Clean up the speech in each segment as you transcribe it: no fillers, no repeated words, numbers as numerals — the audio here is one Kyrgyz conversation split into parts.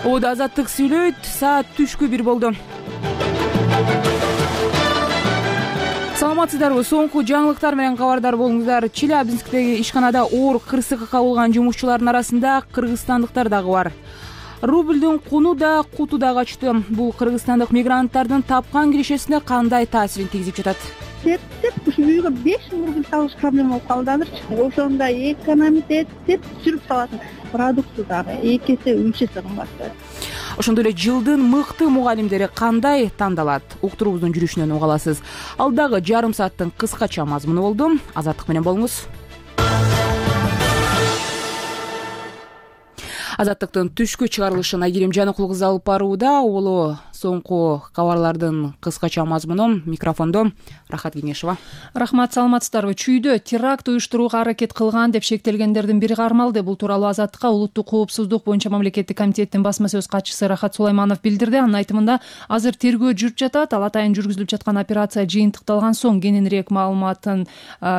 Ода Азаттык сүйлөйт, саат түшкү 1 болду. Саламатсыздарбы? Соңку жаңылыктар менен кабардар болуңуздар. Челябинсктеги ишканада оор кырсыкка кабылган жумушчулардын арасында кыргызстандыктар дагы бар. Рублдун куну да куту да качты. Бул кыргызстандык мигранттардын тапкан киришесине кандай таасирин тийгизип жатат? Ушу үйгө 5000 рубль табыш проблема болуп калды азырчы. Ошондо экономить этип жүрүп салатын. Продукты дагы 2 эсе 3 эсе кымбаттап. Ошондой эле жылдын мыкты мугалимдери кандай тандалат? Уктуруубуздун жүрүшүнөн уга аласыз. Алдагы жарым сааттын кыскача мазмуну болду. Азаттык менен болуңуз. Азаттыктын түшкү чыгарылышын Айгерим Жаныкул кызы алып барууда. Улуу соңку кабарлардын кыскача мазмуну. Микрофондо Рахат Кеңешова. Рахмат, саламатсыздарбы? Чүйдө теракт уюштурууга аракет кылган деп шектелгендердин бири кармалды. Бул тууралуу Азаттыкка улуттук коопсуздук боюнча мамлекеттик комитеттин басма сөз катчысы Рахат Сулайманов билдирди. Анын айтымында азыр тергөө жүрүп жатат. Ал атайын жүргүзүлүп жаткан операция жыйынтыкталган соң кененирээк маалыматын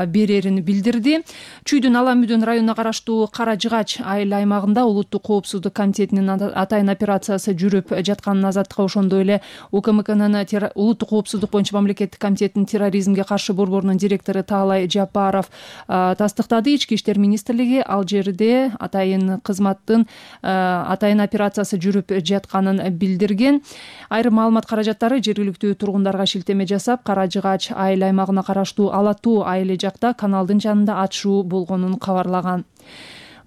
берерин билдирди. Чүйдүн Ала Мүдөн районуна караштуу Кара Жыгач айыл аймагында улуттук коопсуздук комитетинин атайын операциясы жүрүп жатканын Азаттыкка, ошондой эле УКМКнын улуттук коопсуздук боюнча мамлекеттик комитетинин терроризмге каршы борборунун директору Таалай Жапаров тастыктады. Ички иштер министрлиги ал жерде атайын кызматтын атайын операциясы жүрүп жатканын билдирген. Айрым маалымат каражаттары жергиликтүү тургундарга шилтеме жасап, Кара Жыгач айыл аймагына караштуу Алатуу айылы жакта каналдын жанында атышуу болгонун кабарлаган.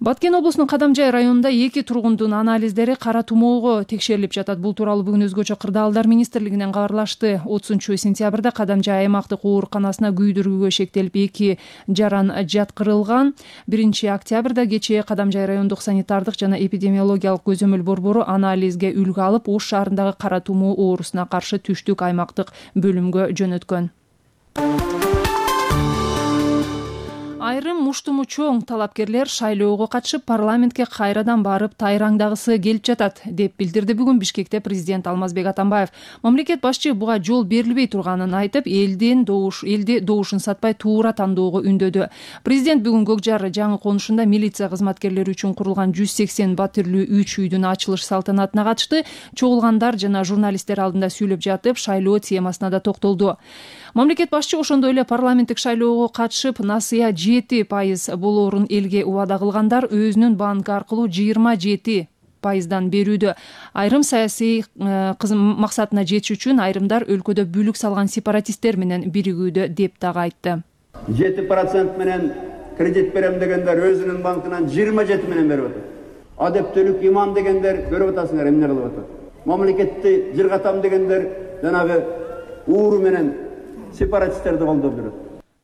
Баткен облусунун Кадамжай районунда 2 тургундун анализдери кара тумоого текшерилип жатат. Бул тууралуу бүгүн өзгөчө кырдаалдар министрлигинен кабарлашты. 30-сентябрда Кадамжай аймактык ооруканасына күйдүрүүгө шектелип 2 жаран жаткырылган. 1-октябрда кечээ Кадамжай райондук санитардык жана эпидемиологиялык көзөмөл борбору анализге үлгү алып, Ош шаарындагы кара тумоо оорусуна каршы түштүк аймактык бөлүмгө жөнөткөн. Айрым муштуму чоң талапкерлер шайлоого катышып парламентке кайрадан барып тайраңдагысы келип жатат деп билдирди бүгүн Бишкекте президент Алмазбек Атамбаев. Мамлекет башчы буга жол берилбей турганын айтып, элде добушун сатпай туура тандоого үндөдү. Президент бүгүн Көкжар жаңы конушунда милиция кызматкерлери үчүн курулган 180 батирлүү 3 үйдүн ачылыш салтанатына катышты. Чогулгандар жана журналисттер алдында сүйлөп жатып, шайлоо темасына да токтолду. Мамлекет башчы ошондой эле парламенттик шайлоого катышып, насыя 7% болоорун элге убада кылгандар өзүнүн банк аркылуу 27% берүүдө. Айрым саясий максатына жетиш үчүн айрымдар өлкөдө бүлүк салган сепаратисттер менен биригүүдө деп дагы айтты. 7% менен кредит берем дегендер өзүнүн банкынан 27 менен берип атат. Адептүүлүк иман дегендер көрүп атасыңар эмне кылып атат. Мамлекетти жыргатам дегендер жанагы ууру менен сепаратисттерди колдоп жүрөт,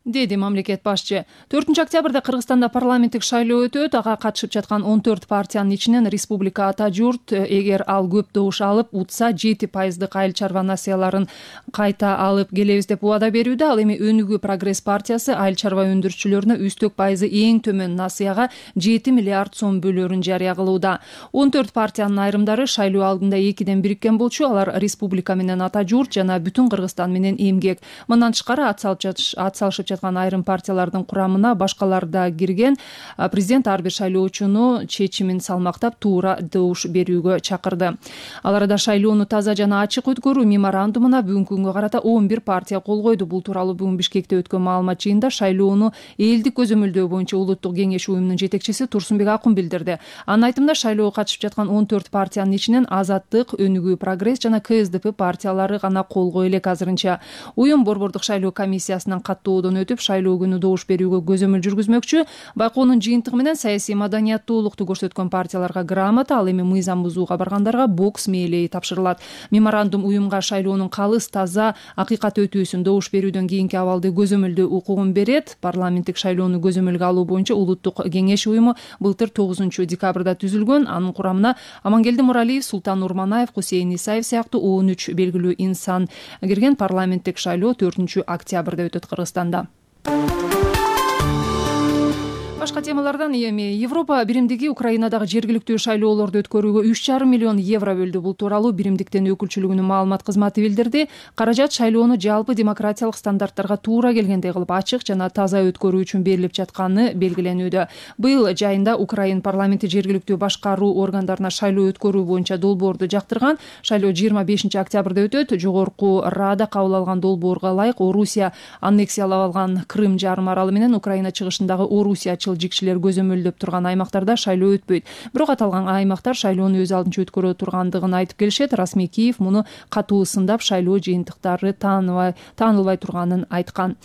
деди мамлекет башчы. 4-октябрда Кыргызстанда парламенттик шайлоо өтөт. Ага катышып жаткан 14 партиянын ичинен Республика Ата журт, эгер ал көп добуш алып утса 7%дык айыл чарба насыяларын кайта алып келебиз деп убада берүүдө. Ал эми Өнүгүү Прогресс партиясы айыл чарба өндүрүүчүлөрүнө үстөк пайызы эң төмөн насыяга 7 миллиард сом бөлөөрүн жарыя кылууда. 14 партиянын айрымдары шайлоо алдында 2ден бириккен болчу. Алар Республика менен Ата журт жана бүтүн Кыргызстан менен эмгек. Мындан тышкары атсалышып жаткан айрым партиялардын курамына башкалар да кирген. Президент ар бир шайлоочуну чечимин салмактап туура добуш берүүгө чакырды. Ал арада шайлоону таза жана ачык өткөрүү меморандумуна бүгүнкү күнгө карата 11 партия кол койду. Бул тууралуу бүгүн Бишкекте өткөн маалымат жыйынында шайлоону элдик көзөмөлдөө боюнча улуттук кеңеш уюмунун жетекчиси Турсунбек Акун билдирди. Анын айтымында шайлоого катышып жаткан 14 партиянын ичинен Азаттык, Өнүгүү Прогресс жана КСДП партиялары гана кол кое элек азырынча. Уюм борбордук шайлоо комиссиясынан каттоодон өтүп, шайлоо күнү добуш берүүгө көзөмөл жүргүзмөкчү. Байкоонун жыйынтыгы менен саясий маданияттуулукту көрсөткөн партияларга грамота, ал эми мыйзам бузууга баргандарга бокс мээлеи тапшырылат. Меморандум уюмга шайлоонун калыс, таза, акыйкат өтүүсүн, добуш берүүдөн кийинки абалды көзөмөлдөө укугун берет. Парламенттик шайлоону көзөмөлгө алуу боюнча улуттук кеңеш уюму былтыр 9-декабрда түзүлгөн. Анын курамына Амангелди Муралиев, Султан Урманаев, Хусейин Исаев сыяктуу 13 белгилүү инсан кирген. Парламенттик шайлоо 4-октябрда өтөт Кыргызстанда. Башка темалардан эми Европа биримдиги Украинадагы жергиликтүү шайлоолорду өткөрүүгө 3,5 миллион евро бөлдү. Бул тууралуу биримдиктин өкүлчүлүгүнүн маалымат кызматы билдирди. Каражат шайлоону жалпы демократиялык стандарттарга туура келгендей кылып ачык жана таза өткөрүү үчүн берилип жатканы белгиленүүдө. Быйыл жайында Украин парламенти жергиликтүү башкаруу органдарына шайлоо өткөрүү боюнча долбоорду жактырган. Шайлоо 25 октябрда өтөт. Жогорку Рада кабыл алган долбоорго ылайык Орусия аннексиялап алган Крым жарым аралы менен Украина чыгышындагы Орусия жикшилер көзөмөлдөп турган аймактарда шайлоо өтпөйт. Бирок аталган аймактар шайлоону өз алдынча өткөрө тургандыгын айтып келишет. Расмий Киев муну катуу сындап, шайлоо жыйынтыктары таанылбай турганын айткан.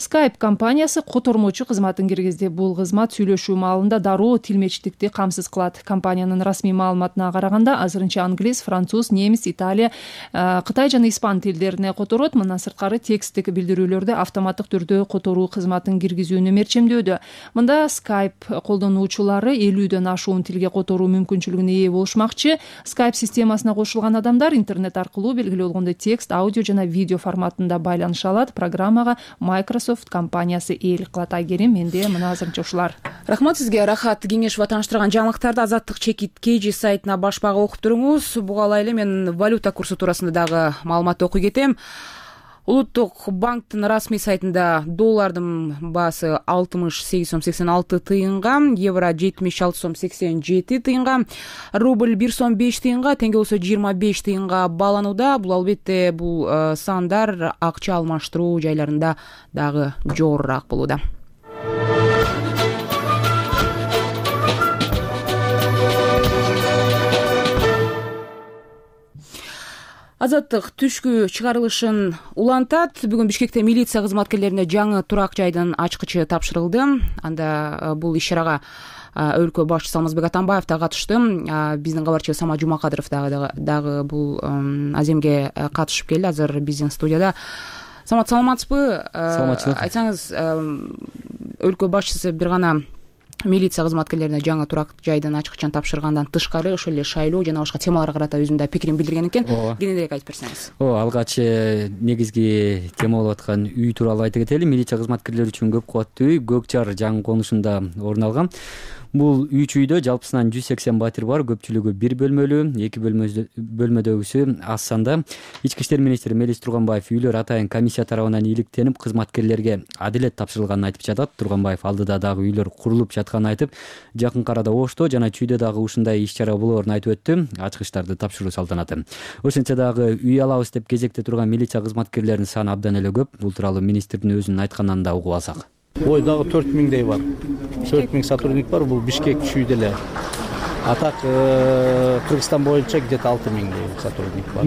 Skype компаниясы котормочу кызматын киргизди. Бул кызмат сүйлөшүү маалында дароо тилмечтикти камсыз кылат. Компаниянын расмий маалыматына караганда азырынча англис, француз, немис, италия, кытай жана испан тилдерине которот. Мындан сырткары тексттик билдирүүлөрдү автоматтык түрдө которуу кызматын киргизүүнү мерчемдөөдө. Мында Skype колдонуучулары 50дөн ашуун тилге которуу мүмкүнчүлүгүнө ээ болушмакчы. Skype системасына кошулган адамдар интернет аркылуу белгилүү болгондой текст, аудио жана видео форматында байланыша алат. Программага Microsoft компаниясы ээлик кылат. Айгерим, менде мына азырынча ушулар. Рахмат сизге. Рахат Кеңешова тааныштырган жаңылыктарды Азаттык чекит KG сайтына башпага окуп туруңуз. Буга эле мен валюта курсу туурасында дагы маалымат окуй кетем. Улуттук банктын расмий сайтында доллардын баасы 68 сом 86 тыйынга, евро 76 сом 87 тыйынга, рубль 1 сом 5 тыйынга, теңге болсо 25 тыйынга бааланууда. Бул албетте бул сандар акча алмаштыруу жайларында дагы жогорураак болууда. Азаттык түшкү чыгарылышын улантат. Бүгүн Бишкекте милиция кызматкерлерине жаңы турак жайдын ачкычы тапшырылды. Анда бул иш-чарага өлкө башчысы Алмазбек Атамбаев да катышты. Биздин кабарчыбыз Сама Жумакадыров дагы бул аземге катышып келди. Азыр биздин студияда. Самат, саламатсызбы? Саламатчылык. Айтсаңыз, өлкө башчысы бир гана милиция кызматкерлерине жаңы турак жайдын ачкычын тапшыргандан тышкары ошол эле шайлоо жана башка темаларга карата өзүнүн да пикирин билдирген экен. Кененирээк айтып берсеңиз. Алгач негизги тема болуп аткан үй тууралуу айта кетели. Милиция кызматкерлери үчүн көп кубаттуу үй Көк Жар жаңы конушунда орун алган. Бул 3 үйдө жалпысынан 180 батир бар, көпчүлүгү 1 бөлмөлүү, 2 бөлмөдөгүсү аз санда. Ички иштер министри Мелис Турганбаев үйлөр атайын комиссия тарабынан иликтенип, кызматкерлерге адилет тапшырылганын айтып жатат. Турганбаев алдыда дагы үйлөр курулуп жатканын айтып, жакын арада Ошто жана Чүйдө дагы ушундай иш-чара болоорун айтып өттү. Ачкычтарды тапшыруу салтанаты. Ошентсе дагы үй алабыз деп кезекте турган милиция кызматкерлеринин саны абдан эле көп. Бул тууралуу министрдин өзүнүн айтканынан да угуп алсак. Ой, дагы 4000дей бар. 4000 сотрудник бар. Бул Бишкек Чүйдө эле. А так Кыргызстан боюнча где-то 6000дей сотрудник бар,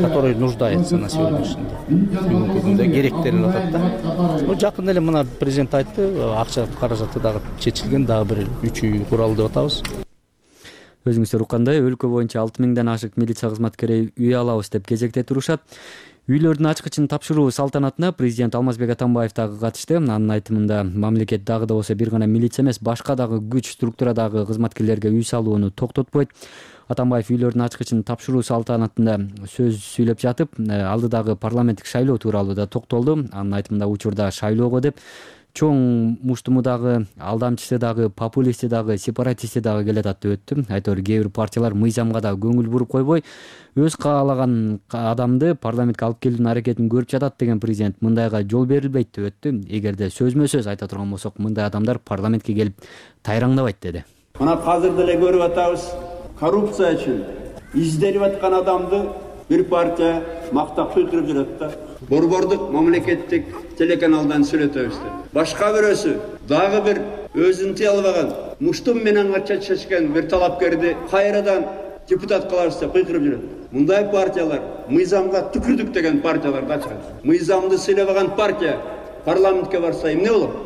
который нуждается на сегодняшний день. Бүгүнкү күндө керектелип атат да. Жакында эле мына президент айтты, акча каражаты дагы чечилген, дагы бир 3 үй куралы деп атабыз. Өзүңүздөр уккандай, өлкө боюнча 6000ден ашык милиция кызматкери үй алабыз деп кезекте турушат. Үйлөрдүн ачкычын тапшыруу салтанатына президент Алмазбек Атамбаев дагы катышты. Анын айтымында мамлекет дагы да болсо бир гана милиция эмес, башка дагы күч структурадагы кызматкерлерге үй салууну токтотпойт. Атамбаев үйлөрдүн ачкычын тапшыруу салтанатында сөз сүйлөп жатып, алдыдагы парламенттик шайлоо тууралуу да токтолду. Анын айтымында учурда шайлоого деп чоң муштуму дагы, алдамчысы дагы, популисти дагы, сепаратисти дагы келатат деп өттү. Айтор кээ бир партиялар мыйзамга да көңүл буруп койбой, өз каалаган адамды парламентке алып келүүнүн аракетин көрүп жатат деген президент мындайга жол берилбейт деп өттү. Эгерде сөзмө сөз айта турган болсок, мындай адамдар парламентке келип тайраңдабайт деди. Мына азыр деле көрүп атабыз, коррупция үчүн изделип аткан адамды бир партия мактап сүйлөп жүрөт да. Борбордук мамлекеттик телеканалдан сүйлөтөбүз деп. Башка бирөөсү дагы бир өзүн тыя албаган муштум менен чечкен бир талапкерди кайрадан депутат кылабыз деп кыйкырып жүрөт. Мындай партиялар мыйзамга түкүрдүк деген партиялар да чыгат. Мыйзамды сыйлабаган партия парламентке барса эмне болот?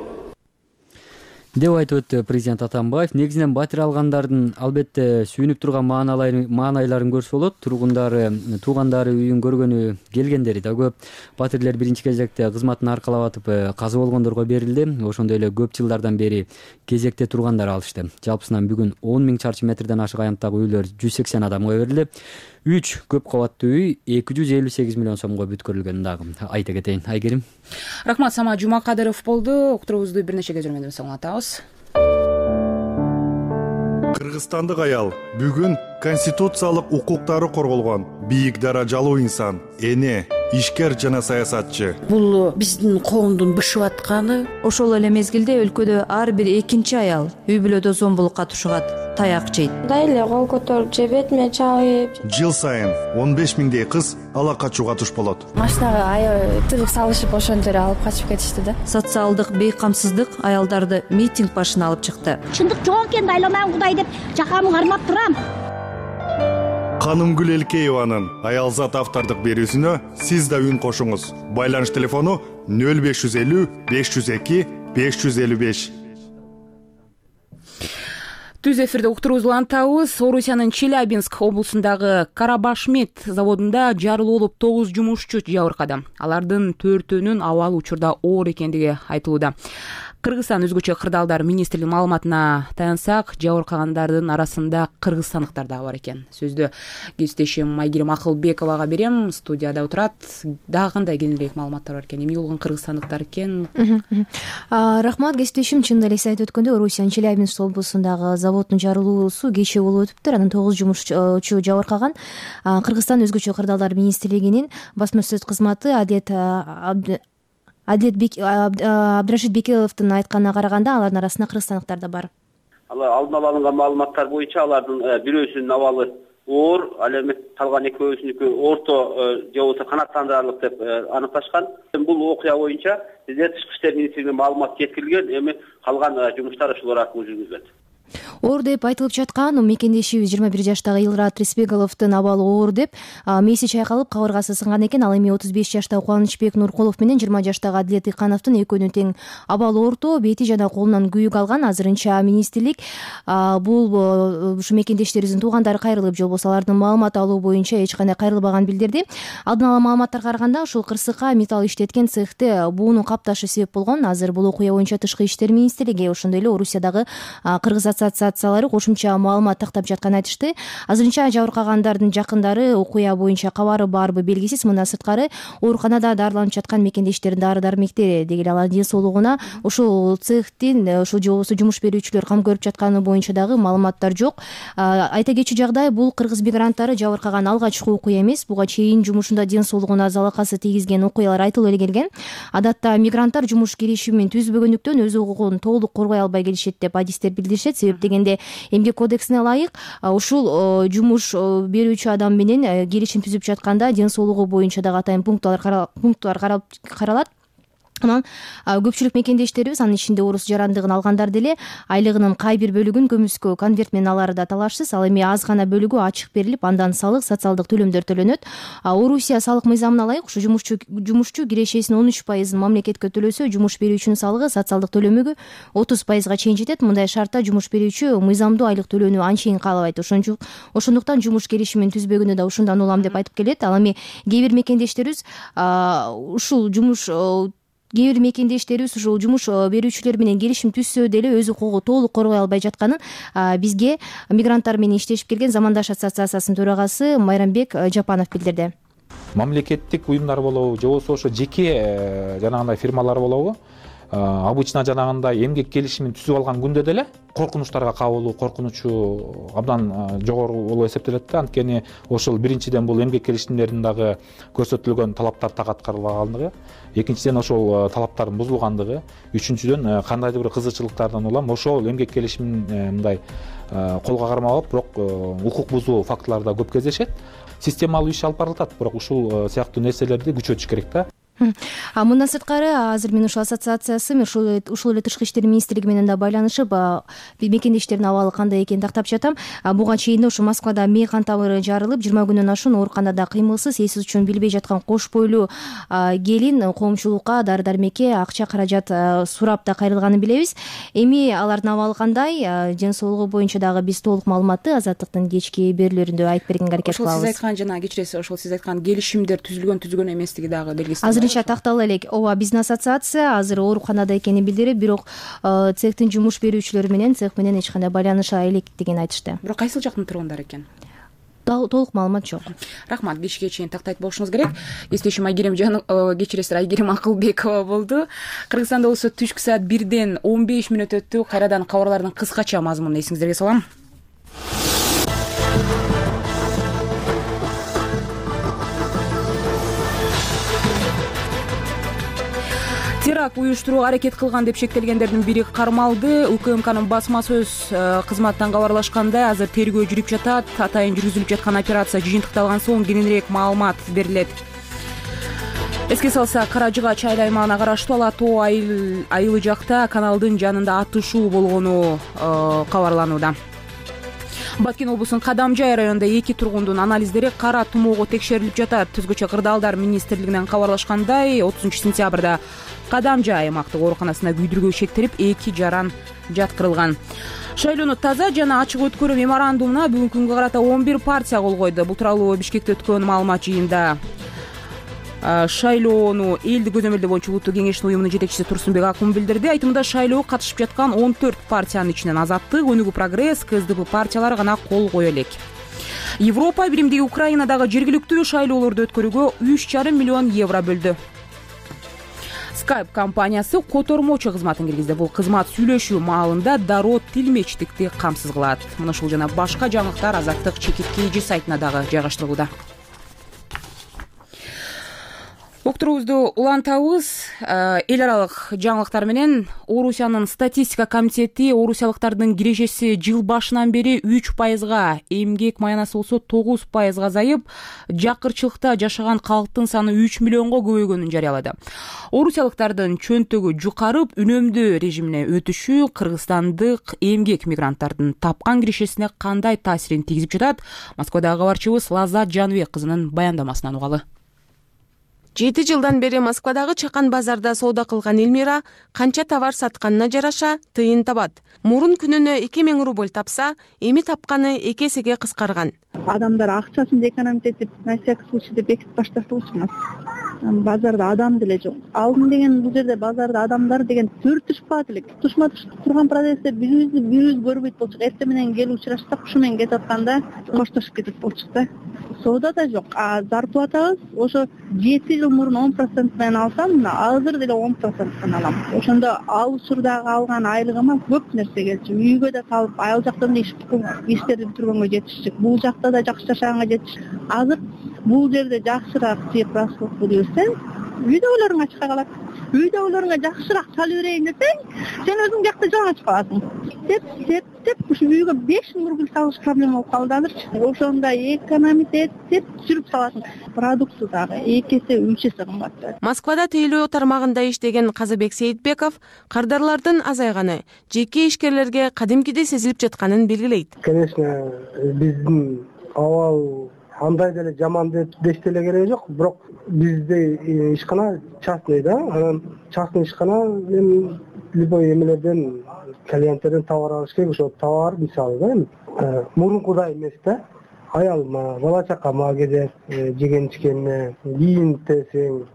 деп айтып өттү президент Атамбаев. Негизинен батир алгандардын албетте сүйүнүп турган маанайларын көрсө болот. Туугандары үйүн көргөнү келгендери да көп. Батирлер биринчи кезекте кызматын аркалап атып каза болгондорго берилди. Ошондой эле көп жылдардан бери кезекте тургандар алышты. Жалпысынан бүгүн 10 000 чарчы метрден ашык аянттагы үйлөр 180 адамга берилди. 3 көп кабаттуу үй 258 миллион сомго бүткөрүлгөн дагы айта кетейин. Айгерим. Рахмат, Сама Жумакадыров болду. Уктуруубузду бир нече көзөрмөдөн соң улантабыз. Кыргызстандык аял бүгүн конституциялык укуктары корголгон бийик даражалуу инсан, эне, ишкер жана саясатчы. Бул биздин коомдун бышып атканы. Ошол эле мезгилде өлкөдө ар бир экинчи аял үй бүлөдө зомбулукка тушугат, таяк жейт. Мындай эле кол көтөрүп же бетиме чалып. Жыл сайын 15 миңдей кыз ала качууга туш болот. Машинага аябай тыгып салышып ошондо эле алып качып кетишти да. Социалдык бейкамсыздык аялдарды митинг башына алып чыкты. Чындык жок экен, айланам Кудай деп жакамы кармап турам. Канымгүл Элкееванын Аялзат автордук берүүсүнө сиз да үн кошуңуз. Байланыш телефону 0550 502 555. Түз эфирде уктуруубузду улантабыз. Орусиянын Челябинск облусундагы Карабашмет заводунда жарылуу болуп 9 жумушчу жабыркады. Алардын 4-өнүн абалы учурда оор экендиги айтылууда. Кыргызстан өзгөчө кырдаалдар министрлигинин маалыматына таянсак, жабыркагандардын арасында кыргызстандыктар да бар экен. Сөздү кесиптешим Айгерим Акылбековага берем. Студияда отурат. Дагы кандай кененирээк маалыматтар бар экен? Эмне болгон кыргызстандыктар экен? Рахмат, кесиптешим. Чын эле сиз айтып өткөндөй, Орусиянын Челябинск облусундагы заводдун жарылуусу кечээ болуп өтүптүр. Анын 9 жумушчу жабыркаган. Кыргызстан өзгөчө кырдаалдар министрлигинин басма сөз кызматы Адилет Абдрашид Бекеловдун айтканына караганда, алардын арасында кыргызстандыктар да бар. Алдын ала алынган маалыматтар боюнча алардын бирөөсүнүн абалы оор, ал эми калган экөөсүнүкү орто же болбосо канааттандырарлык деп аныкташкан. Бул окуя боюнча бизде Тышкы иштер министрлигинин маалыматы жеткирилген, эми калган жумуштар ушулар аркылуу жүргүзүлөт. Оор деп айтылып жаткан мекендешибиз 21 жаштагы Илрат Рисбековдун абалы оор деп, мээси чайкалып кабыргасы сынган экен. Ал эми 35 жаштагы Кубанычбек Нуркулов менен 20 жаштагы Адилет Икановдун экөөнүн тең абалы орто, бети жана колунан күйүк алган. Азырынча министрлик бул ушу мекендештерибиздин туугандары кайрылып, же болбосо алардын маалымат алуу боюнча эч кандай кайрылбаган билдирди. Алдын ала маалыматтарга караганда, ушул кырсыкка металл иштеткен цехте буунун капташы себеп болгон. Азыр бул окуя боюнча Тышкы иштер министрлиги, ошондой эле Орусиядагы кыргыз ассоциациялары кошумча маалымат тактап жатканын айтышты. Азырынча жабыркагандардын жакындары окуя боюнча кабары барбы белгисиз. Мындан сырткары ооруканада дарыланып жаткан мекендештердин дары-дармектери деги эле алардын ден соолугуна ушул цехтин ушул же болбосо жумуш берүүчүлөр кам көрүп жатканы боюнча дагы маалыматтар жок. Айта кетчү жагдай, бул кыргыз мигранттары жабыркаган алгачкы окуя эмес. Буга чейин жумушунда ден соолугуна залакасы тийгизген окуялар айтылып эле келген. Адатта мигранттар жумуш келишимин түзбөгөндүктөн өз укугун толук коргой албай келишет деп адистер билдиришет. Себеп дегенде эмгек кодексине ылайык ушул жумуш берүүчү адам менен келишим түзүп жатканда ден соолугу боюнча дагы атайын пункттар каралат. Анан көпчүлүк мекендештерибиз, анын ичинде орус жарандыгын алгандар деле, айлыгынын кай бир бөлүгүн көмүскө конверт менен алары да талашсыз. Ал эми аз гана бөлүгү ачык берилип, андан салык, социалдык төлөмдөр төлөнөт. Орусия салык мыйзамына ылайык ушу жумушчу кирешесинин 13%-ын мамлекетке төлөсө, жумуш берүүчүнүн салыгы социалдык төлөмүгө 30%-га чейин жетет. Мындай шартта жумуш берүүчү мыйзамдуу айлык төлөөнү анчейин каалабайт. Ошондуктан жумуш келишимин түзбөгөнү да ушундан улам деп айтып келет. Ал эми кээ бир мекендештерибиз ушул жумуш берүүчүлөр менен келишим түзсө деле өз укугу толук коргой албай жатканын бизге мигранттар менен иштешип келген Замандаш ассоциациясынын төрагасы Майрамбек Жапанов билдирди. Мамлекеттик уюмдар болобу же болбосо ошо жеке жанагындай фирмалар болобу, обычно жанагындай эмгек келишимин түзүп алган күндө деле коркунучтарга кабылуу коркунучу абдан жогору болуп эсептелет да. Анткени ошол биринчиден бул эмгек келишимдеринин дагы көрсөтүлгөн талаптар так аткарылбагандыгы, экинчиден ошол талаптардын бузулгандыгы, үчүнчүдөн кандайдыр бир кызыкчылыктардан улам ошол эмгек келишимин мындай колго кармап, бирок укук бузуу фактылары да көп кездешет. Системалуу иш алып барылат, бирок ушул сыяктуу нерселерди күчөтүш керек да. Мындан сырткары азыр мен ушул ассоциациясы ушул эле Тышкы иштер министрлиги менен да байланышып мекендештердин абалы кандай экенин тактап жатам. Буга чейин ушу Москвада мейкан табыры жарылып 20 күнөн ашуун ооруканада кыймылсыз, эсиз үчүн билбей жаткан кош бойлуу келин коомчулукка дары-дармекке акча каражат сурап да кайрылганын билебиз. Эми алардын абалы кандай, ден соолугу боюнча дагы биз толук маалыматты Азаттыктын кечки берүүлөрүндө айтып бергенге аракет кылабыз. Ошол сиз айткан жана кечиресиз, ошол сиз айткан келишимдер түзүлгөн эместиги дагы белгисиз. Азырынча тактала элек. Ооба, биздин ассоциация азыр ооруканада экенин билдирип, бирок цехтин жумуш берүүчүлөрү менен цех менен эч кандай байланыша электигин айтышты. Бирок кайсыл жактын тургундары экен? Толук маалымат жок. Рахмат, кечке чейин тактайт болушуңуз керек. Кесиптешим Айгерим Акылбекова болду. Кыргызстанда болсо түшкү саат 1ден 15 мүнөт өттү. Кайрадан кабарлардын кыскача мазмунун эсиңиздерге салам. теракт уюштурууга аракет кылган деп шектелгендердин бири кармалды. УКМКнын басма сөз кызматынан кабарлашкандай, азыр тергөө жүрүп жатат. Атайын жүргүзүлүп жаткан операция жыйынтыкталган соң кененирээк маалымат берилет. Эске салсак, Кара Жыгач айыл аймагына караштуу Ала тоо айылы жакта каналдын жанында атышуу болгону кабарланууда. Баткен облусунун Кадамжай районунда 2 тургундун анализдери кара тумоого текшерилип жатат. Түзгүчө кырдаалдар министрлигинен кабарлашкандай, 30-сентябрда Кадамжай аймактык ооруканасына күйдүргү шектелип, 2 жаран жаткырылган. Шайлоону таза жана ачык өткөрүү меморандумуна бүгүнкү күнгө карата 11 партия кол койду. Бул тууралуу Бишкекте өткөн маалымат жыйынында шайлоону элди көзөмөлдөө боюнча улуттук кеңештин уюмунун жетекчиси Турсунбек Акун билдирди. Айтымында шайлоого катышып жаткан 14 партиянын ичинен Азаттык, Өнүгүү Прогресс, КСДП партиялары гана кол кое элек. Европа биримдиги Украинадагы жергиликтүү шайлоолорду өткөрүүгө 3,5 миллион евро бөлдү. Skype компаниясы котормочу кызматын киргизди. Бул кызмат сүйлөшүү маалында дароо тилмечтикти камсыз кылат. Мына ушул жана башка жаңылыктар Азаттык чекит сайтына дагы жайгаштырылууда. Уктуруубузду улантабыз. Эл аралык жаңылыктар менен Орусиянын статистика комитети орусиялыктардын кирешеси жыл башынан бери 3%, эмгек маянасы болсо 9% азайып, жакырчылыкта жашаган калктын саны 3 миллионго көбөйгөнүн жарыялады. Орусиялыктардын чөнтөгү жукарып, үнөмдүү режимине өтүшү кыргызстандык эмгек мигранттардын тапкан кирешесине кандай таасирин тийгизип жатат? Москвадагы кабарчыбыз Лаззат Жаныбек кызынын баяндамасынан угалы. 7 жылдан бери Москвадагы чакан базарда соода кылган Элмира канча товар сатканына жараша тыйын табат. Мурун күнүнө 2000 рубль тапса, эми тапканы 2 эсеге кыскарган. Адамдар акчасын экономить этип, на всякий случай деп бекитип башташыбыз. Базарда адам деле жок. Алдын деген бул жерде базарда адамдар деген төртүшпат элек. Тушма турган продавцтер бирибиз көрбөйт болчук. Эртең менен келип учурашсак, ушу менен кетип атканда коштошуп кетип болчук да. Соода да жок. Зарплатабыз ошо 7 жыл мурун 10% менен алсам, азыр деле 10% алам. Ошондо ал учурдагы алган айлыгыма көп нерсе келчү. Үйгө да салып, айыл жактан иштерди бүтүргөнгө жетишчүк. Бул жакта да жакшы жашаганга жетиш. Азыр бул жерде жакшыраак цифрасы көрсөң, үйдөгүлөрүңө чыга калат. Үйдөгүлөрүңө жакшыраак салып берейин десең, сен өзүң жакта жалаңач каласың. Деп ушу үйгө 5000 рубль салыш проблема болуп калды азырчы. Ошондо экономить этип сүрүп саласың. Продукты дагы 2 эсе 3 эсе кымбаттайт. Москвада тейлөө тармагында иштеген Казыбек Сейитбеков кардарлардын азайганы жеке ишкерлерге кадимкидей сезилип жатканын белгилейт. Конечно, биздин абал андай деле жаман деп деле кереги жок, бирок бизде ишкана частный да, анан частный ишкана мен любой эмелерден клиенттерден товар алыш керек. Ошо товар мисалы да, мурункудай эмес да. Аялыма, бала чакама керек, жеген ичкенине, кийинтесең,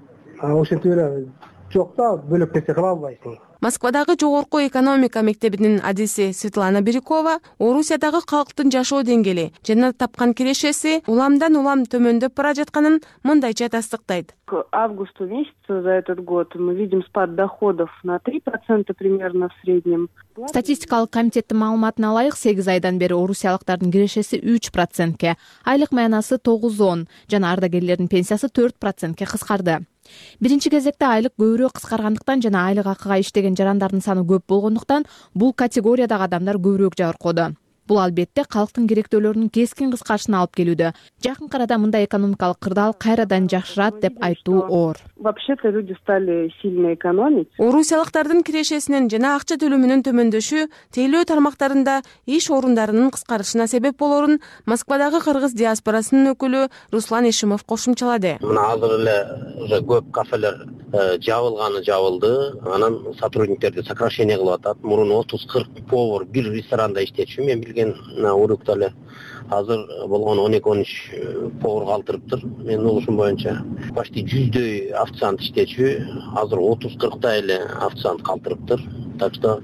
ошентип эле жок да, бөлөк нерсе кыла албайсың. Москвадагы жогорку экономика мектебинин адиси Светлана Бирюкова Орусиядагы калктын жашоо деңгээли жана тапкан кирешеси уламдан улам төмөндөп бара жатканын мындайча тастыктайт. К августу месяцу за этот год мы видим спад доходов на 3% примерно в среднем. Статистикалык комитеттин маалыматына ылайык 8 айдан бери орусиялыктардын кирешеси 3%, айлык маянасы 9,10 жана ардагерлердин пенсиясы 4%ке кыскарды. Биринчи кезекте айлык көбүрөөк кыскаргандыктан жана айлык акыга иштеген жарандардын саны көп болгондуктан бул категориядагы адамдар көбүрөөк жабыркоодо. Бул албетте калктын керектөөлөрүнүн кескин кыскарышына алып келүүдө. Жакын арада мындай экономикалык кырдаал кайрадан жакшырат деп айтуу оор. Вообще-то люди стали сильно экономить. Орусиялыктардын кирешесинин жана акча төлөмүнүн төмөндөшү тейлөө тармактарында иш орундарынын кыскарышына себеп болорун Москвадагы кыргыз диаспорасынын өкүлү Руслан Ишимов кошумчалады. Мына азыр эле уже көп кафелер жабылды, анан сотрудниктерди сокращение кылып атат. Мурун 30-40 повар бир ресторанда иштечү, мен билген урукта эле. Азыр болгон 12-13 повар калтырыптыр. Менин угушум боюнча почти 100дөй официант иштечү, азыр 30-40 эле официант калтырыптыр. Так что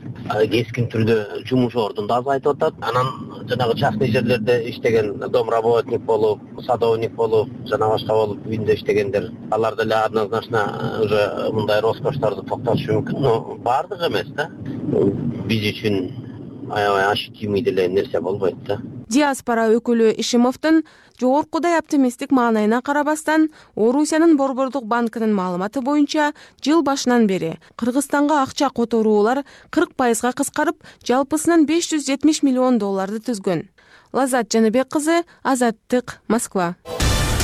кескин түрдө жумуш ордун да азайтып атат. Анан жанагы частный жерлерде иштеген домработник болуп, садовник болуп, жана башка болуп үйүндө иштегендер, алар деле однозначно уже мындай роскошторду токтотушу мүмкүн, но баардыгы эмес да. Биз үчүн аябай ощутимый деле нерсе болбойт да. диаспора өкүлү Ишимовдун жогоркудай оптимисттик маанайына карабастан, Орусиянын Борбордук банкынын маалыматы боюнча жыл башынан бери Кыргызстанга акча которуулар 40%га кыскарып, жалпысынан $570 миллион түзгөн. Лазат Жаныбек кызы, Азаттык, Москва.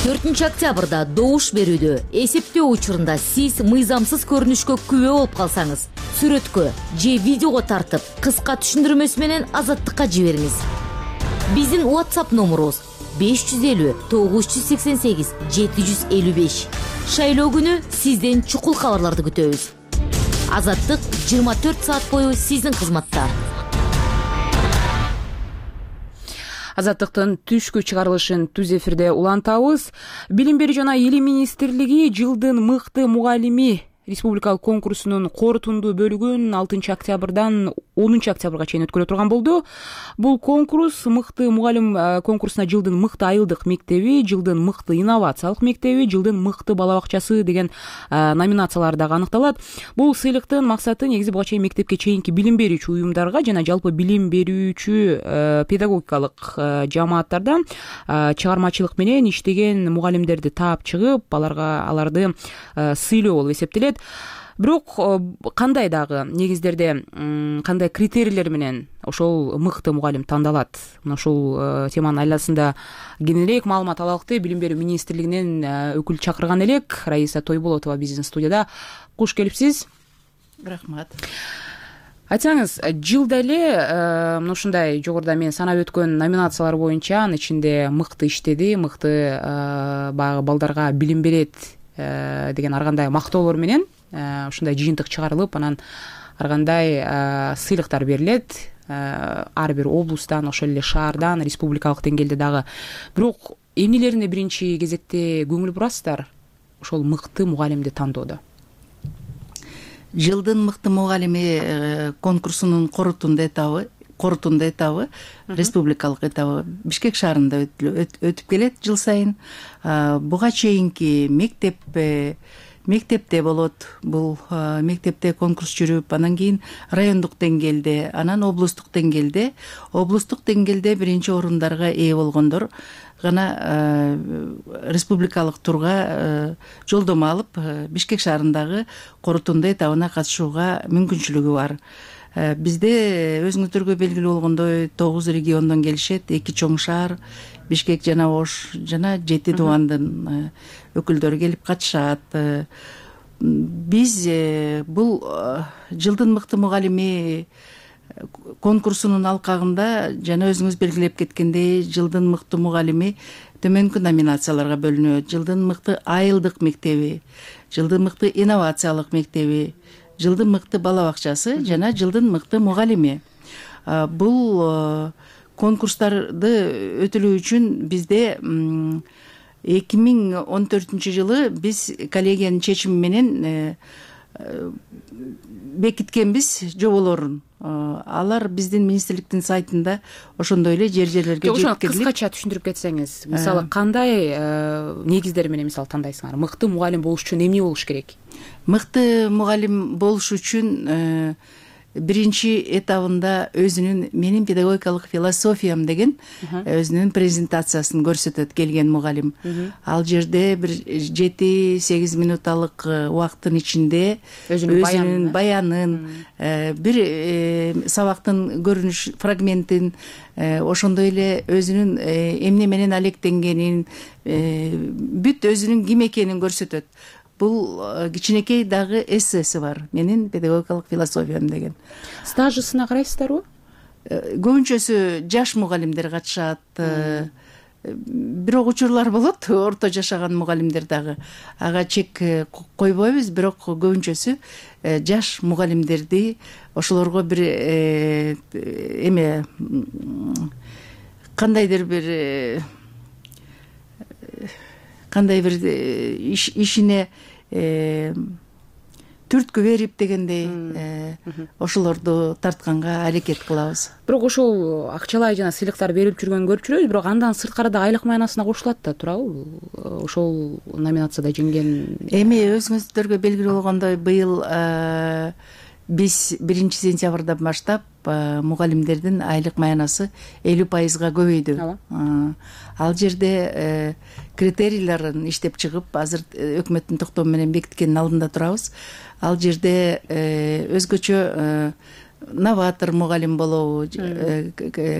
4 октябрда добуш берүүдө эсептөө учурунда сиз мыйзамсыз көрүнүшкө күбө болуп калсаңыз, сүрөткө же видеого тартып, кыска түшүндүрмөсү менен Азаттыкка жибериңиз. Биздин WhatsApp номерубуз 550 988 755. Шайлоо күнү сизден чукул кабарларды күтөбүз. Азаттык 24 саат бою сиздин кызматта. Азаттыктын түшкү чыгарылышын түз эфирде улантабыз. Билим берүү жана Илим министрлиги жылдын мыкты мугалими республикалык конкурсунун корутунду бөлүгүн 6 октябрдан 10 октябрга чейин өткөрө турган болду. Бул конкурс мыкты мугалим конкурсуна жылдын мыкты айылдык мектеби, жылдын мыкты инновациялык мектеби, жылдын мыкты бала бакчасы деген номинациялар дагы аныкталат. Бул сыйлыктын максаты негизи буга чейин мектепке чейинки билим берүүчү уюмдарга жана жалпы билим берүүчү педагогикалык жамааттарда чыгармачылык менен иштеген мугалимдерди таап чыгып, аларды сыйлоо болуп эсептелет. Бирок кандай дагы негиздерде кандай критерийлер менен ошол мыкты мугалим тандалат? Мына ушул теманын айласында кененирээк маалымат алалыкты. Билим берүү министрлигинен өкүл чакырган элек. Раиса Тойболотова биздин студияда. Куш келипсиз. Рахмат. Айтсаңыз, жылда эле мына ушундай жогоруда мен санап өткөн номинациялар боюнча анын ичинде мыкты иштеди, мыкты баягы балдарга билим берет деген ар кандай мактоолор менен ушундай жыйынтык чыгарылып, анан ар кандай сыйлыктар берилет ар бир облустан, ошол эле шаардан, республикалык деңгээлде дагы. Бирок эмнелерине биринчи кезекте көңүл бурасыздар ошол мыкты мугалимди тандоодо? Жылдын мыкты мугалими конкурсунун корутунду этабы, республикалык этабы Бишкек шаарында өтүп келет жыл сайын. Буга чейинки мектепте болот. Бул мектепте конкурс жүрүп, анан кийин райондук деңгээлде, анан облустук деңгээлде биринчи орундарга ээ болгондор гана республикалык турга жолдомо алып, Бишкек шаарындагы корутунду этабына катышууга мүмкүнчүлүгү бар. Бизде өзүңүздөргө белгилүү болгондой 9 региондон келишет, 2 чоң шаар, Бишкек жана Ош жана 7 дубандын өкүлдөрү келип катышат. Биз бул жылдын мыкты мугалими конкурсунун алкагында жана өзүңүз белгилеп кеткендей, жылдын мыкты мугалими төмөнкү номинацияларга бөлүнөт. Жылдын мыкты айылдык мектеби, жылдын мыкты инновациялык мектеби, жылдын мыкты бала бакчасы жана жылдын мыкты мугалими. Бул конкурстарды өтүлүү үчүн бизде 2014 жылы биз коллегиянын чечими менен бекиткенбиз жоболорун. Алар биздин министрликтин сайтында ошондой эле жерлерге жеткирилип. Кыскача түшүндүрүп кетсеңиз, мисалы кандай негиздер менен мисалы тандайсыңар? Мыкты мугалим болуш үчүн эмне болуш керек? Мыкты мугалим болуш үчүн биринчи этабында өзүнүн менин педагогикалык философиям деген өзүнүн презентациясын көрсөтөт келген мугалим. Ал жерде бир 7-8 минуталык убакыттын ичинде өзүнүн баянын, бир сабактын көрүнүш фрагментин, ошондой эле өзүнүн эмне менен алектенгенин, бүт өзүнүн ким экенин көрсөтөт. Бул кичинекей дагы эссеси бар. Менин педагогикалык философиям деген. Стажысына карайсыздарбы? Көбүнчөсү жаш мугалимдер катышат. Бирок учурлар болот, орто жашаган мугалимдер дагы. Ага чек койбойбуз, бирок көбүнчөсү жаш мугалимдерди ошолорго бир кандайдыр бир ишине түрткү берип дегендей ошолорду тартканга аракет кылабыз. Бирок ошол акчалай жана сыйлыктар берип жүргөнүн көрүп жүрөбүз, бирок андан сырткары да айлык маянасына кошулат да турабы? Ошол номинацияда жеңген. Өзүңүздөргө белгилүү болгондой, быйыл биз 1 сентябрдан баштап мугалимдердин айлык маянасы 50%-га көбөйдү. Ал жерде критерийлерин иштеп чыгып, азыр өкмөттүн токтому менен бекиткендин алдында турабыз. Ал жерде өзгөчө новатор мугалим болобу,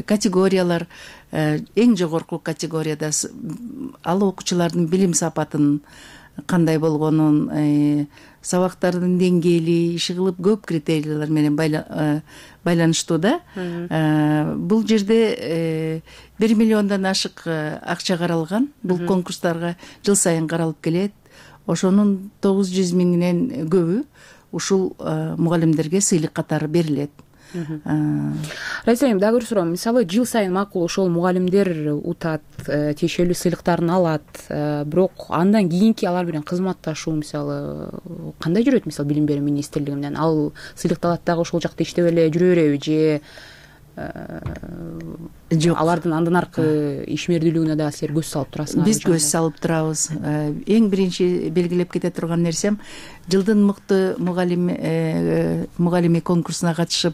категориялар, эң жогорку категорияда ал окуучулардын билим сапатынын кандай болгонун, сабактардын деңгээли, иши кылып көп критерийлер менен байланыштуу да. Бул жерде 1 миллиондон ашык акча каралган. Бул конкурстарга жыл сайын каралып келет. Ошонун 900 миңинен көбү ушул мугалимдерге сыйлык катары берилет. Раиса айым, дагы бир суроо. Мисалы, жыл сайын макул ошол мугалимдер утат, тиешелүү сыйлыктарын алат, бирок андан кийинки алар менен кызматташуу мисалы кандай жүрөт? Мисалы, билим берүү министрлиги менен ал сыйлыкты алат дагы ошол жакта иштеп эле жүрө береби же жок, алардын андан аркы ишмердүүлүгүнө дагы силер көз салып турасыңар? Биз көз салып турабыз. Эң биринчи белгилеп кете турган нерсем, жылдын мыкты мугалими конкурсуна катышып,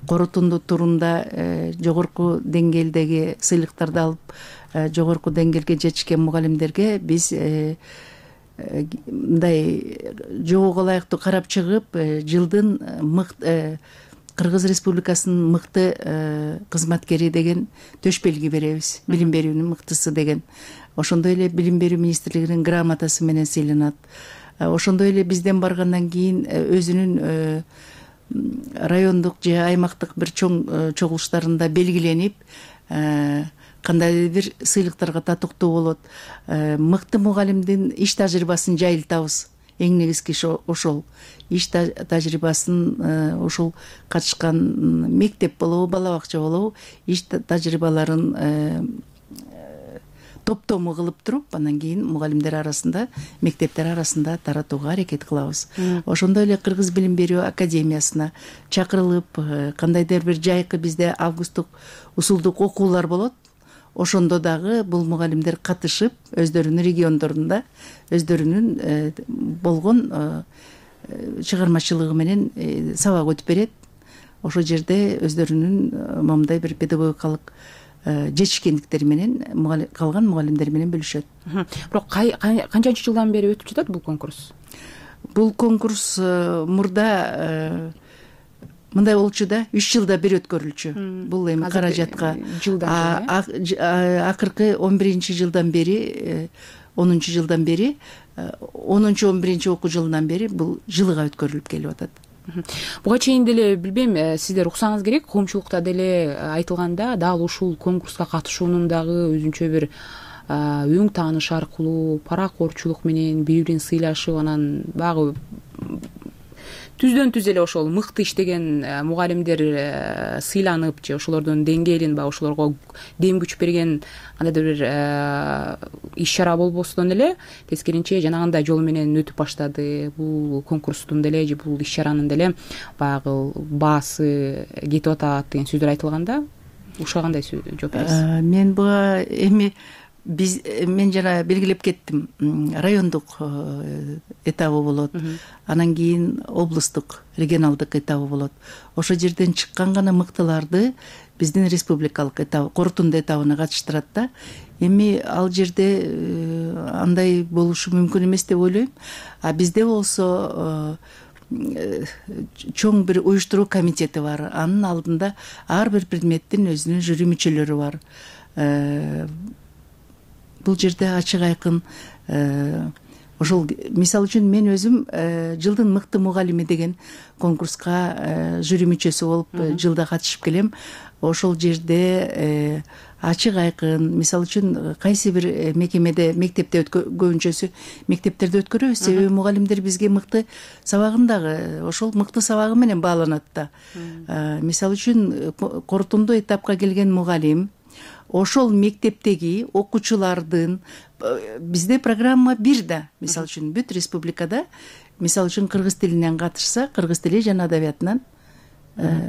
корутунду турунда жогорку деңгээлдеги сыйлыктарды алып, жогорку деңгээлге жетишкен мугалимдерге биз мындай жоого ылайыктуу карап чыгып, жылдын Кыргыз Республикасынын мыкты кызматкери деген төш белги беребиз. Билим берүүнүн мыктысы деген. Ошондой эле билим берүү министрлигинин грамотасы менен сыйланат. Ошондой эле бизден баргандан кийин өзүнүн райондук же аймактык бир чоң чогулуштарында белгиленип, кандайдыр бир сыйлыктарга татыктуу болот. Мыкты мугалимдин иш тажрыйбасын жайылтабыз. Эң негизги ошол. Иш тажрыйбасын, ошол катышкан мектеп болобу, бала бакча болобу, иш тажрыйбаларын топтому кылып туруп, анан кийин мугалимдер арасында, мектептер арасында таратууга аракет кылабыз. Ошондой эле Кыргыз билим берүү академиясына чакырылып, кандайдыр бир жайкы бизде августтук усулдук окуулар болот. Ошондо дагы бул мугалимдер катышып, өздөрүнүн региондорунда өздөрүнүн болгон чыгармачылыгы менен сабак өтүп берет. Ошол жерде өздөрүнүн момундай бир педагогикалык жетишкендиктери менен калган мугалимдер менен бөлүшөт. Бирок канчанчы жылдан бери өтүп жатат бул конкурс? Бул конкурс мурда мындай болчу да, 3 жылда бир өткөрүлчү. Бул эми каражатка акыркы 11 жылдан бери, 10 жылдан бери, 10-11 окуу жылынан бери бул жылыга өткөрүлүп келип атат. Буга чейин деле билбейм, сиздер уксаңыз керек, коомчулукта деле айтылганда, дал ушул конкурска катышуунун дагы өзүнчө бир өң тааныш аркылуу, паракорчулук менен бири бирин сыйлашып, анан багы түздөн түз эле ошол мыкты иштеген мугалимдер сыйланып же ошолордун деңгээлин баягы ошолорго дем күч берген кандайдыр бир иш чара болбостон эле тескеринче жанагындай жол менен өтүп баштады. Бул конкурстун деле же бул иш чаранын деле баягы баасы кетип атат деген сөздөр айтылганда, ушуга кандай жооп бересиз? Мен буга эми мен жана белгилеп кеттим, райондук этабы болот, анан кийин облустук, регионалдык этабы болот. Ошол жерден чыккан гана мыктыларды биздин республикалык этап, корутунду этабына катыштырат да. Эми ал жерде андай болушу мүмкүн эмес деп ойлойм. А бизде болсо чоң бир уюштуруу комитети бар. Анын алдында ар бир предметтин өзүнүн жюри мүчөлөрү бар. Бул жерде ачык айкын ошол, мисалы үчүн мен өзүм жылдын мыкты мугалими деген конкурска жюри мүчөсү болуп жылда катышып келем. Ошол жерде ачык айкын, мисалы үчүн кайсы бир мекемеде, мектепте көбүнчөсү мектептерде өткөрөбүз, себеби мугалимдер бизге мыкты сабагын дагы ошол мыкты сабагы менен бааланат да. Мисалы үчүн корутунду этапка келген мугалим ошол мектептеги окуучулардын, бизде программа бир да, мисалы үчүн бүт республикада, мисалы үчүн кыргыз тилинен катышса, кыргыз тили жана адабиятынан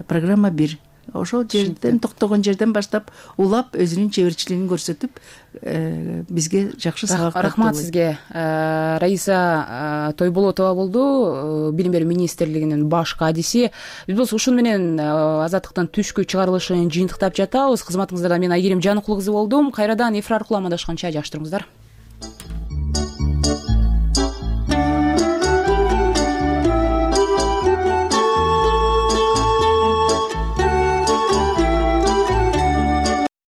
программа бир. ошол жерден токтогон жерден баштап улап өзүнүн чеберчилигин көрсөтүп бизге жакшы сабак. Рахмат сизге. Раиса Тойболотова болду, Билим берүү министрлигинин баш кадиси. Биз болсо ушун менен Азаттыктын түшкү чыгарылышын жыйынтыктап жатабыз. Кызматыңыздарда мен Айгерим Жаныкулуу кызы болдум. Кайрадан эфир аркылуу амандашканча жакшы туруңуздар.